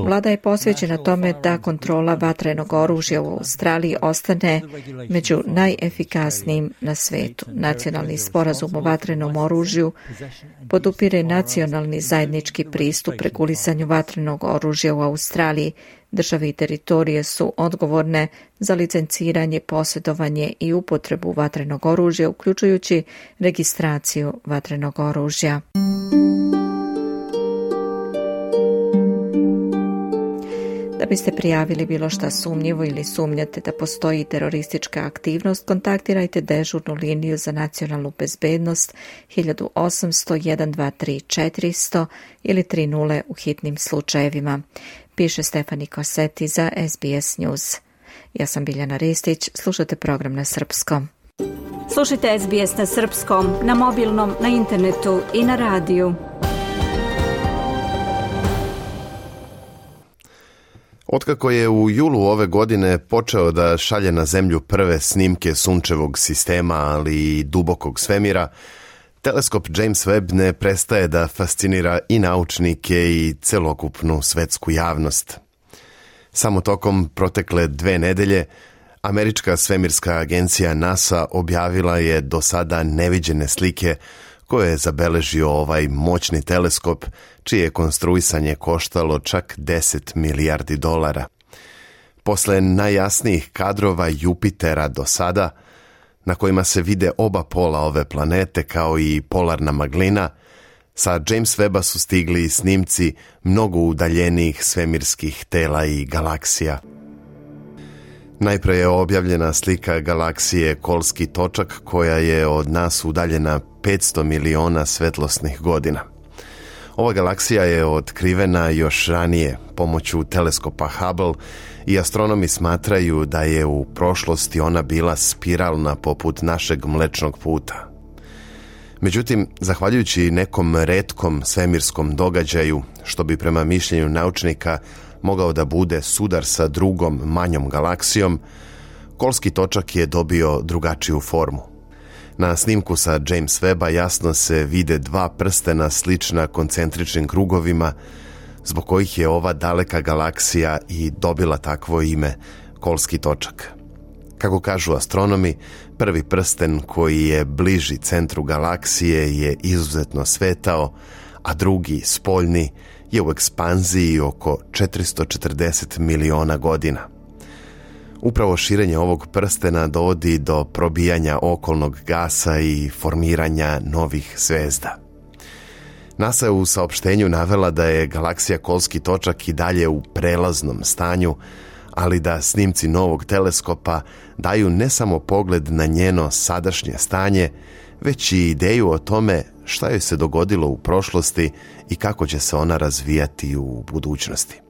Vlada je posvećena tome da kontrola vatrenog oružja u Australiji ostane među najefikasnijim na svetu. Nacionalni sporazum o vatrenom oružju podupire nacionalni zajednički pristup regulisanju vatrenog oružja u Australiji. Države i teritorije su odgovorne za licenciranje, posjedovanje i upotrebu vatrenog oružja, uključujući registraciju vatrenog oružja. Da biste prijavili bilo šta sumnjivo ili sumnjate da postoji teroristička aktivnost, kontaktirajte dežurnu liniju za nacionalnu bezbednost 1800 123 400 ili 30 u hitnim slučajevima. Piše Stefani Koseti za SBS News. Ja sam Biljana Ristić, slušate program na srpskom. Slušajte SBS na srpskom, na mobilnom, na internetu i na radiju. Otkako je u julu ove godine počeo da šalje na zemlju prve snimke sunčevog sistema, ali i dubokog svemira, teleskop James Webb ne prestaje da fascinira i naučnike i celokupnu svetsku javnost. Samo tokom protekle 2 nedelje, američka svemirska agencija NASA objavila je do sada neviđene slike koje je zabeležio ovaj moćni teleskop, čije je konstruisanje koštalo čak $10 milijardi. Posle najjasnijih kadrova Jupitera do sada, na kojima se vide oba pola ove planete kao i polarna maglina, sa James Webba su stigli snimci mnogo udaljenijih svemirskih tela i galaksija. Najpre je objavljena slika galaksije Kolski točak, koja je od nas udaljena 500 miliona svetlosnih godina. Ova galaksija je otkrivena još ranije pomoću teleskopa Hubble i astronomi smatraju da je u prošlosti ona bila spiralna poput našeg Mlečnog puta. Međutim, zahvaljujući nekom retkom svemirskom događaju, što bi prema mišljenju naučnika mogao da bude sudar sa drugom manjom galaksijom, Kolski točak je dobio drugačiju formu. Na snimku sa James Webba jasno se vide 2 prstena slična koncentričnim krugovima, zbog kojih je ova daleka galaksija i dobila takvo ime Kolski točak. Kako kažu astronomi, prvi prsten koji je bliži centru galaksije je izuzetno svetao, a drugi, spoljni, je u ekspanziji oko 440 miliona godina. Upravo širenje ovog prstena dovodi do probijanja okolnog gasa i formiranja novih zvezda. NASA je u saopštenju navela da je galaksija Kolski točak i dalje u prelaznom stanju, ali da snimci novog teleskopa daju ne samo pogled na njeno sadašnje stanje, već i ideju o tome šta joj se dogodilo u prošlosti i kako će se ona razvijati u budućnosti.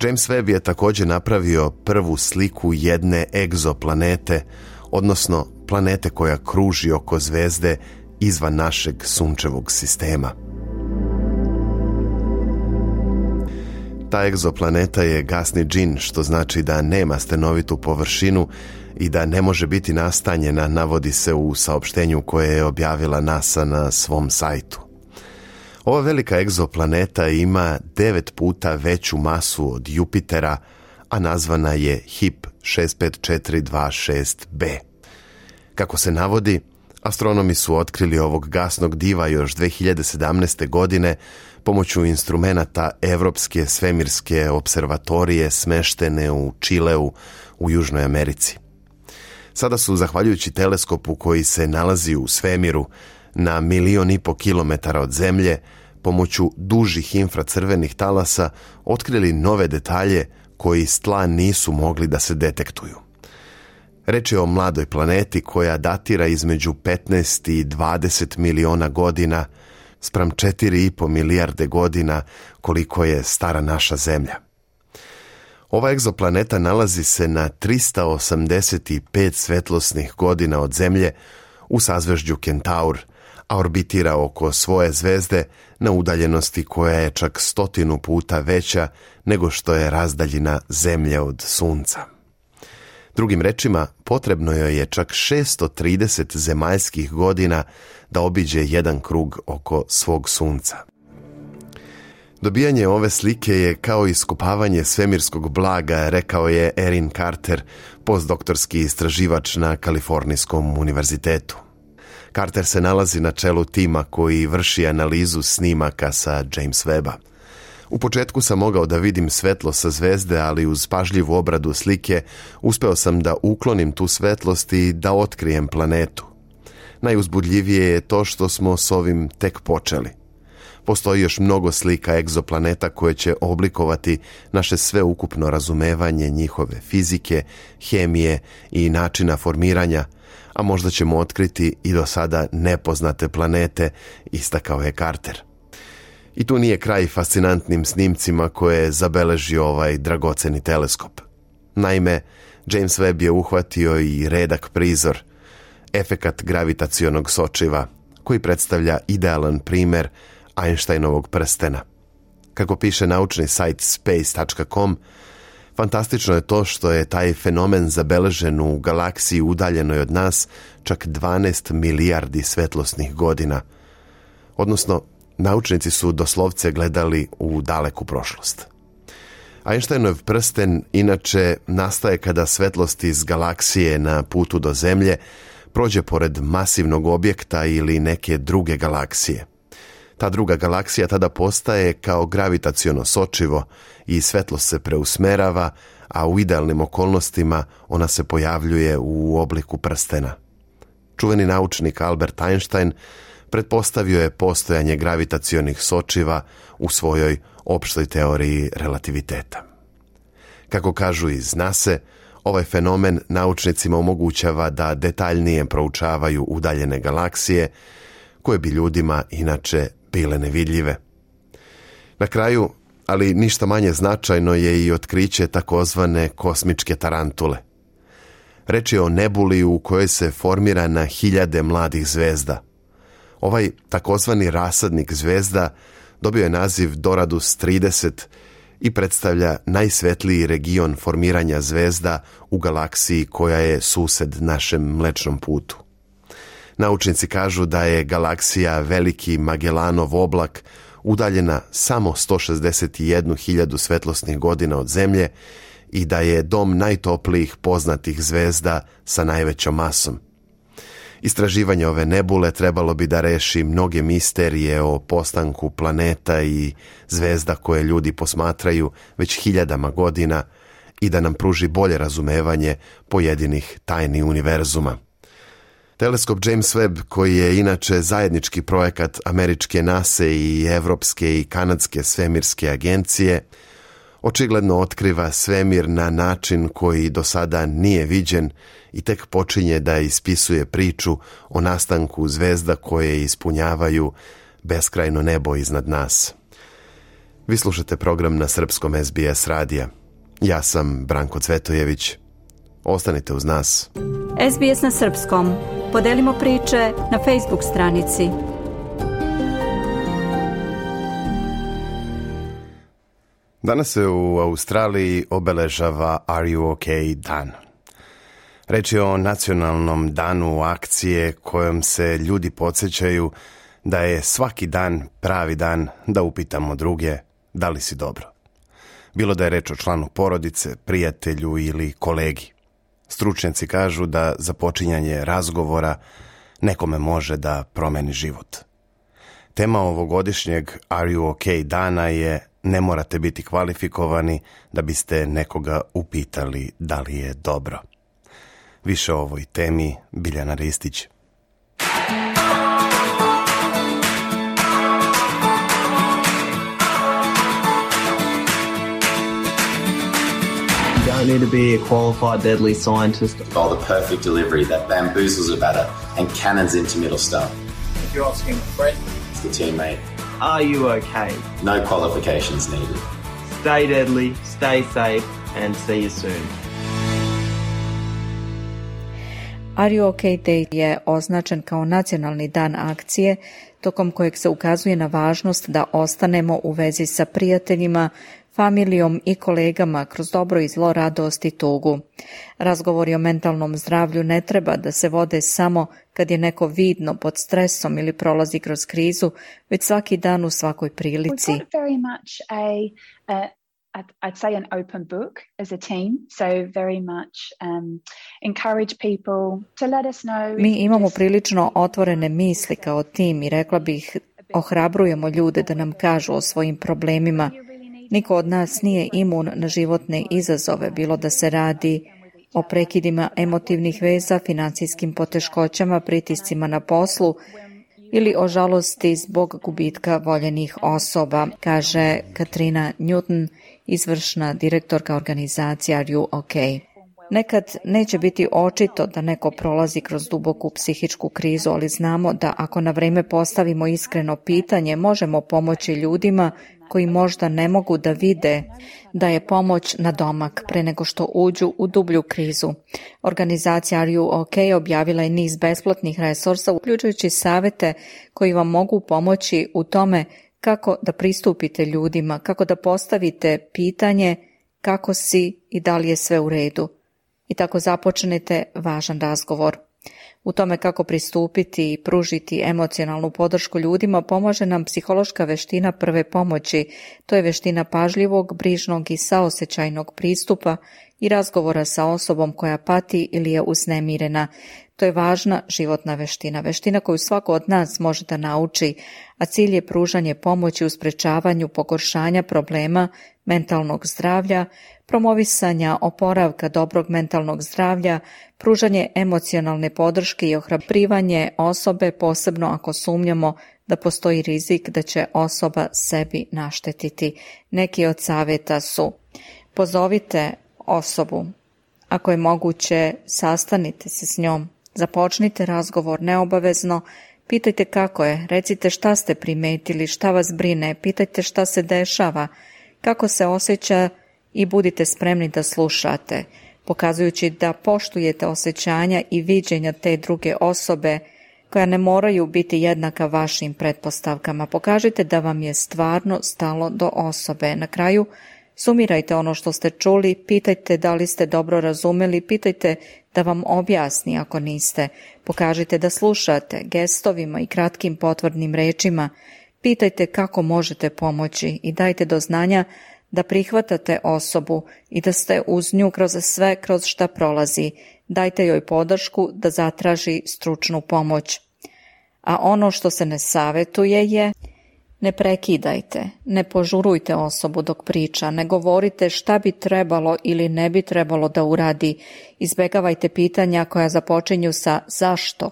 James Webb je također napravio prvu sliku jedne egzoplanete, odnosno planete koja kruži oko zvezde izvan našeg sunčevog sistema. Ta egzoplaneta je gasni džin, što znači da nema stenovitu površinu i da ne može biti nastanjena, navodi se u saopštenju koje je objavila NASA na svom sajtu. Ova velika egzoplaneta ima 9 puta veću masu od Jupitera, a nazvana je HIP 65426b. Kako se navodi, astronomi su otkrili ovog gasnog diva još 2017. godine pomoću instrumenata Evropske svemirske observatorije smeštene u Čileu u Južnoj Americi. Sada su, zahvaljujući teleskopu koji se nalazi u svemiru na 1,5 miliona kilometara od Zemlje, pomoću dužih infracrvenih talasa otkrili nove detalje koji s tla nisu mogli da se detektuju. Reč je o mladoj planeti koja datira između 15 i 20 miliona godina spram 4,5 milijarde godina koliko je stara naša Zemlja. Ova egzoplaneta nalazi se na 385 svetlosnih godina od Zemlje u sazvežđu Kentaur, a orbitira oko svoje zvezde na udaljenosti koja je čak 100 puta veća nego što je razdaljina Zemlje od Sunca. Drugim rečima, potrebno joj je čak 630 zemaljskih godina da obiđe jedan krug oko svog sunca. Dobijanje ove slike je kao iskopavanje svemirskog blaga, rekao je Erin Carter, postdoktorski istraživač na Kalifornijskom univerzitetu. Carter se nalazi na čelu tima koji vrši analizu snimaka sa James Webba. U početku sam mogao da vidim svetlo sa zvezde, ali uz pažljivu obradu slike uspeo sam da uklonim tu svetlost i da otkrijem planetu. Najuzbudljivije je to što smo s ovim tek počeli. Postoji još mnogo slika egzoplaneta koje će oblikovati naše sveukupno razumevanje njihove fizike, hemije i načina formiranja, a možda ćemo otkriti i do sada nepoznate planete, istakao je Carter. I tu nije kraj fascinantnim snimcima koje je zabeležio ovaj dragoceni teleskop. Naime, James Webb je uhvatio i redak prizor, efekat gravitacionog sočiva, koji predstavlja idealan primer Einsteinovog prstena. Kako piše naučni sajt space.com, fantastično je to što je taj fenomen zabeležen u galaksiji udaljenoj od nas čak 12 milijardi svetlosnih godina. Odnosno, naučnici su doslovce gledali u daleku prošlost. Einsteinov prsten inače nastaje kada svetlost iz galaksije na putu do Zemlje prođe pored masivnog objekta ili neke druge galaksije. Ta druga galaksija tada postaje kao gravitaciono sočivo i svetlost se preusmerava, a u idealnim okolnostima ona se pojavljuje u obliku prstena. Čuveni naučnik Albert Einstein pretpostavio je postojanje gravitacionih sočiva u svojoj opštoj teoriji relativiteta. Kako kažu iz NASA, ovaj fenomen naučnicima omogućava da detaljnije proučavaju udaljene galaksije, koje bi ljudima inače bile nevidljive. Na kraju, ali ništa manje značajno, je i otkriće takozvane kosmičke tarantule. Reč je o nebuli u kojoj se formira na hiljade mladih zvezda. Ovaj takozvani rasadnik zvezda dobio je naziv Doradus 30 i predstavlja najsvetliji region formiranja zvezda u galaksiji koja je sused našem Mlečnom putu. Naučnici kažu da je galaksija Veliki Magellanov oblak udaljena samo 161.000 svetlosnih godina od Zemlje i da je dom najtoplijih poznatih zvezda sa najvećom masom. Istraživanje ove nebule trebalo bi da reši mnoge misterije o postanku planeta i zvezda koje ljudi posmatraju već hiljadama godina i da nam pruži bolje razumevanje pojedinih tajni univerzuma. Teleskop James Webb, koji je inače zajednički projekat američke NASA i evropske i kanadske svemirske agencije, očigledno otkriva svemir na način koji do sada nije viđen i tek počinje da ispisuje priču o nastanku zvezda koje ispunjavaju beskrajno nebo iznad nas. Vi slušate program na srpskom SBS radija. Ja sam Branko Cvetojević. Ostanite uz nas. SBS na srpskom. Podelimo priče na Facebook stranici. Danas se u Australiji obeležava Are You OK dan. Reč je o nacionalnom danu akcije kojom se ljudi podsjećaju da je svaki dan pravi dan da upitamo druge da li si dobro. Bilo da je reč o članu porodice, prijatelju ili kolegi. Stručnjaci kažu da započinjanje razgovora nekome može da promeni život. Tema ovogodišnjeg Are You OK dana je ne morate biti kvalifikovani da biste nekoga upitali da li je dobro. Više o ovoj temi Biljana Ristić. You don't need to be a qualified deadly scientist. Or the perfect delivery that bamboozles a batter and cannons into middle stump. If you're asking a friend, it's the teammate. Are you okay? No qualifications needed. Stay deadly, stay safe, and see you soon. Are You OK Day je označen kao nacionalni dan akcije, tokom kojeg se ukazuje na važnost da ostanemo u vezi sa prijateljima, familijom i kolegama kroz dobro i zlo, radost i tugu. Razgovori o mentalnom zdravlju ne treba da se vode samo kad je neko vidno pod stresom ili prolazi kroz krizu, već svaki dan u svakoj prilici. I'd say an open book as a team, so very much encourage people to let us know. Mi imamo prilično otvorene misli kao tim i rekla bih ohrabrujemo ljude da nam kažu o svojim problemima. Niko od nas nije imun na životne izazove, bilo da se radi o prekidima emotivnih veza, financijskim poteškoćama, pritiscima na poslu ili o žalosti zbog gubitka voljenih osoba, kaže Katrina Newton, izvršna direktorka organizacije Are You OK? Nekad neće biti očito da neko prolazi kroz duboku psihičku krizu, ali znamo da ako na vreme postavimo iskreno pitanje, možemo pomoći ljudima koji možda ne mogu da vide da je pomoć na domak pre nego što uđu u dublju krizu. Organizacija Are You OK objavila je niz besplatnih resursa, uključujući savete koji vam mogu pomoći u tome kako da pristupite ljudima, kako da postavite pitanje kako si i da li je sve u redu. I tako započnete važan razgovor. U tome kako pristupiti i pružiti emocionalnu podršku ljudima pomože nam psihološka veština prve pomoći. To je veština pažljivog, brižnog i saosećajnog pristupa i razgovora sa osobom koja pati ili je uznemirena. To je važna životna veština, veština koju svako od nas može da nauči, a cilj je pružanje pomoći u sprečavanju pogoršanja problema mentalnog zdravlja, promovisanja oporavka dobrog mentalnog zdravlja, pružanje emocionalne podrške i ohrabrivanje osobe, posebno ako sumnjamo da postoji rizik da će osoba sebi naštetiti. Neki od savjeta su: pozovite osobu, ako je moguće sastanite se s njom, započnite razgovor neobavezno, pitajte kako je, recite šta ste primetili, šta vas brine, pitajte šta se dešava, kako se osjeća i budite spremni da slušate, pokazujući da poštujete osjećanja i viđenja te druge osobe koja ne moraju biti jednaka vašim pretpostavkama. Pokažite da vam je stvarno stalo do osobe. Na kraju, sumirajte ono što ste čuli, pitajte da li ste dobro razumeli, pitajte da vam objasni ako niste. Pokažite da slušate gestovima i kratkim potvrdnim rečima. Pitajte kako možete pomoći i dajte do znanja da prihvatate osobu i da ste uz nju kroz sve kroz šta prolazi. Dajte joj podršku da zatraži stručnu pomoć. A ono što se ne savjetuje je: ne prekidajte, ne požurujte osobu dok priča, ne govorite šta bi trebalo ili ne bi trebalo da uradi, izbegavajte pitanja koja započinju sa zašto,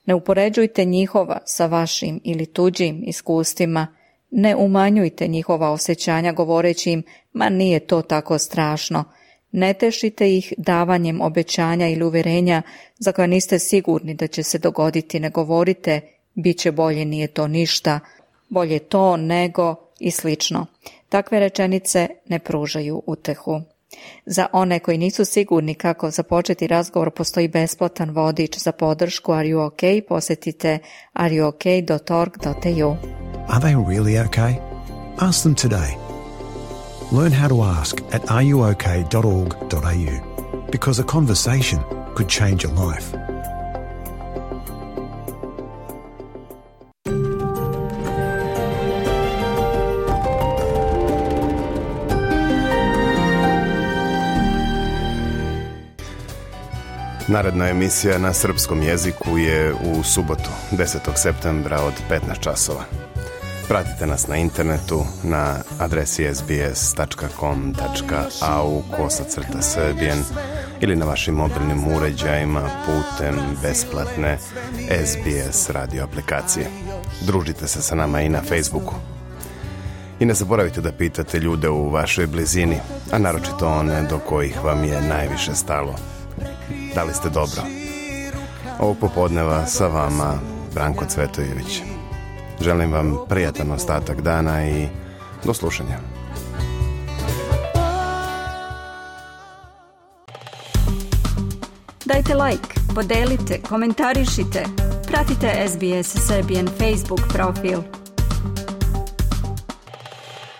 ne upoređujte njihova sa vašim ili tuđim iskustvima, ne umanjujte njihova osjećanja govoreći im ma nije to tako strašno, ne tešite ih davanjem obećanja ili uverenja za koja niste sigurni da će se dogoditi, ne govorite bit će bolje, nije to ništa, bolje to nego i slično. Takve rečenice ne pružaju utehu. Za one koji nisu sigurni kako započeti razgovor, postoji besplatan vodič za podršku Are You OK? Posjetite areyook.org.au. Are they really okay? Ask them today. Learn how to ask at areyook.org.au, because a conversation could change your life. Naredna emisija na srpskom jeziku je u subotu, 10. septembra od 15 časova. Pratite nas na internetu na adresi sbs.com.au/Serbian ili na vašim mobilnim uređajima putem besplatne SBS radio aplikacije. Družite se sa nama i na Facebooku. I ne zaboravite da pitate ljude u vašoj blizini, a naročito one do kojih vam je najviše stalo. Da li ste dobro? Ovog popodneva sa vama Branko Cvetojević. Želim vam prijatan ostatak dana i do slušanja. Dajte like, podelite, komentarišite. Pratite SBS Serbian Facebook profil.